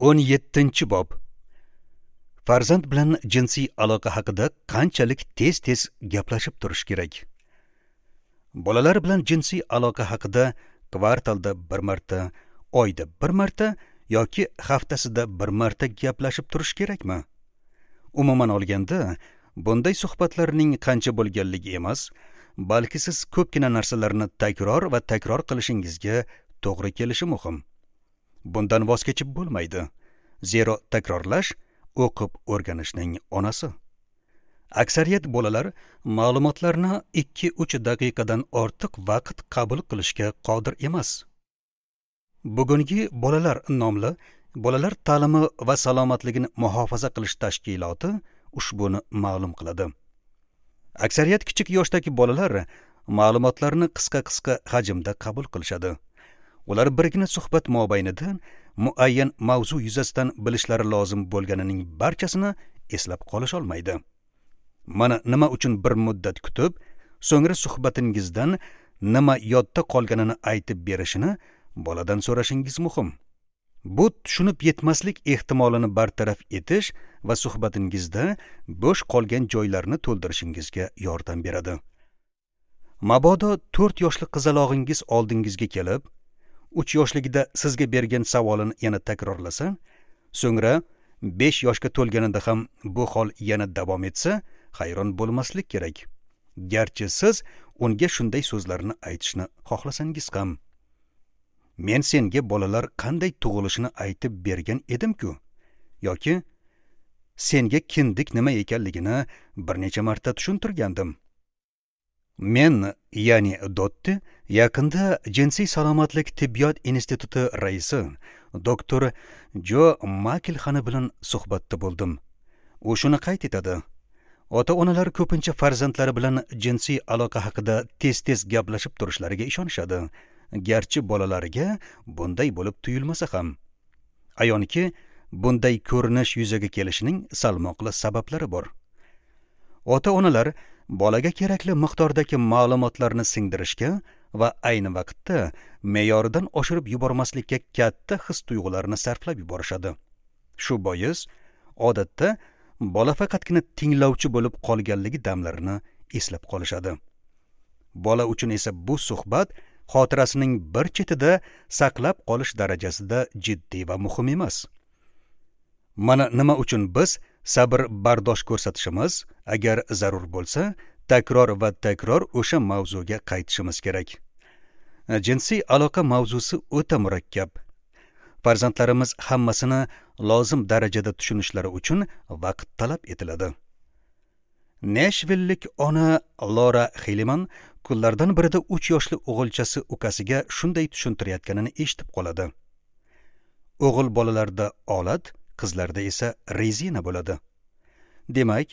17-bob. Farzand bilan jinsiy aloqa haqida qanchalik tez-tez gaplashib turish kerak? Bolalar bilan jinsiy aloqa haqida kvartalda bir marta, oyda bir marta yoki haftasida bir marta gaplashib turish kerakmi? Umuman olganda, bunday suhbatlarning qancha bo'lganligi emas, balki siz ko'pgina narsalarni takror va takror qilishingizga to'g'ri kelishi muhim. Bundan voz kechib bo'lmaydi. Zero takrorlash o'qib o'rganishning onasi. Aksariyat bolalar ma'lumotlarni 2-3 daqiqadan ortiq vaqt qabul qilishga qodir emas. Bugungi bolalar nomli Bolalar ta'limi va salomatligini muhofaza qilish tashkiloti ushbuni ma'lum qiladi. Aksariyat kichik yoshdagi bolalar ma'lumotlarni qisqa-qisqa hajmda qabul qilishadi. Ular birgina suhbat mobaynida muayyan mavzu yuzasidan bilishlari lozim bo'lganining barchasini eslab qolisha olmaydi. Mana nima uchun bir muddat kutib, so'ngra suhbatingizdan nima yodda qolganini aytib berishini boladan so'rashingiz muhim. Bu tushunib yetmaslik ehtimolini bartaraf etish va suhbatingizda bo'sh qolgan joylarni to'ldirishingizga yordam beradi. Mabodo 4 yoshli qizalog'ingiz oldingizga kelib, 3 yoshligida sizga bergan savolini yana takrorlasa, so'ngra 5 yoshga to'lganida ham bu hol yana davom etsa, hayron bo'lmaslik kerak. Garchi siz unga shunday so'zlarni aytishni xohlasangiz ham. Men senga bolalar qanday tug'ilishini aytib bergan edim-ku, yoki senga kindik nima ekanligini bir necha marta tushuntirgandim. Men, ya'ni Dotti, yaqinda Jinsiy salomatlik tibbiyot instituti raisi doktor Jo Maklxani bilan suhbatda bo'ldim. U shuni qayd etadi. Ota-onalar ko'pincha farzandlari bilan jinsiy aloqa haqida tez-tez gaplashib turishlariga ishonishadi, garchi bolalariga bunday bo'lib tuyulmasa ham. Ayonki, bunday ko'rinish yuzaga kelishining salmoqli sabablari bor. Ota-onalar bolaga kerakli miqdordagi ma'lumotlarni singdirishga va ayni vaqtda me'yoridan oshirib yubormaslikka katta his-tuyg'ularni sarflab yuborishadi. Shu bois, odatda bola faqatgina tinglovchi bo'lib qolganligi damlarini eslab qolishadi. Bola uchun esa bu suhbat xotirasining bir chetida saqlab qolish darajasida jiddiy va muhim emas. Mana nima uchun biz sabr bardosh ko'rsatishimiz, agar zarur bo'lsa, takror va takror o'sha mavzuga qaytishimiz kerak. Jinsiy aloqa mavzusi o'ta murakkab. Farzandlarimiz hammasini lozim darajada tushunishlari uchun vaqt talab etiladi. Nashvillik ona Lora Xiliman kunlardan birida 3 yoshli o'g'ilchasi ukasiga shunday tushuntirayotganini eshitib qoladi. O'g'il bolalarda olat, qizlarda esa rezina bo'ladi. Demak,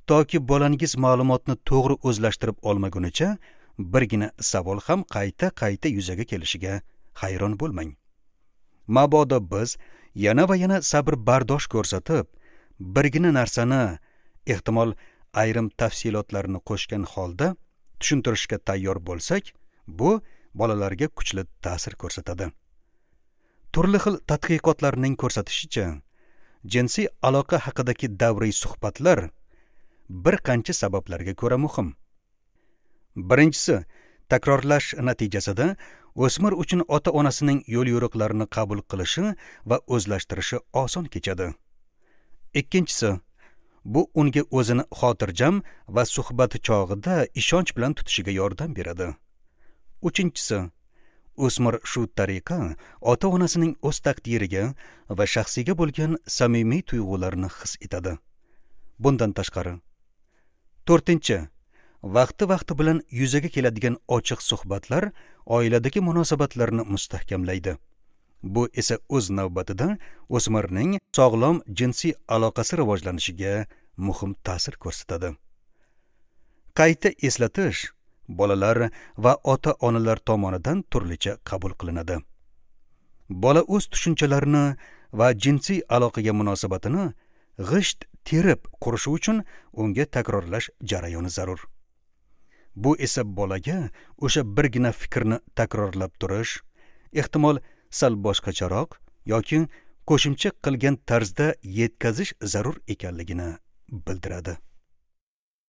toki bolangiz ma'lumotni to'g'ri o'zlashtirib olmagunicha birgina savol ham qayta-qayta yuzaga kelishiga hayron bo'lmang. Mabodo biz yana va yana sabr bardosh ko'rsatib, birgina narsani, ehtimol ayrim tafsilotlarni qo'shgan holda tushuntirishga tayyor bo'lsak, bu bolalarga kuchli ta'sir ko'rsatadi. Turli xil tadqiqotlarning ko'rsatishicha, jinsiy aloqa haqidagi davriy suhbatlar bir qancha sabablarga ko'ra muhim. Birinchisi, takrorlash natijasida o'smir uchun ota-onasining yo'l-yo'riqlarini qabul qilishi va o'zlashtirishi oson kechadi. Ikkinchisi, bu unga o'zini xotirjam va suhbat chog'ida ishonch bilan tutishiga yordam beradi. Uchinchisi, o'smir shu tariqa ota-onasining o'z taqdiriga va shaxsiga bo'lgan samimiy tuyg'ularini his etadi. Bundan tashqari, to'rtinchi, vaqti-vaqti bilan yuzaga keladigan ochiq suhbatlar oiladagi munosabatlarni mustahkamlaydi. Bu esa o'z navbatida o'smirning sog'lom jinsiy aloqasi rivojlanishiga muhim ta'sir ko'rsatadi. Qayta eslatish bolalar va ota-onalar tomonidan turlicha qabul qilinadi. Bola o'z tushunchalarini va jinsiy aloqaga munosabatini g'isht terib qurishi uchun unga takrorlash jarayoni zarur. Bu esa bolaga o'sha birgina fikrni takrorlab turish, ehtimol sal boshqacharoq yoki qo'shimcha qilgan tarzda yetkazish zarur ekanligini bildiradi.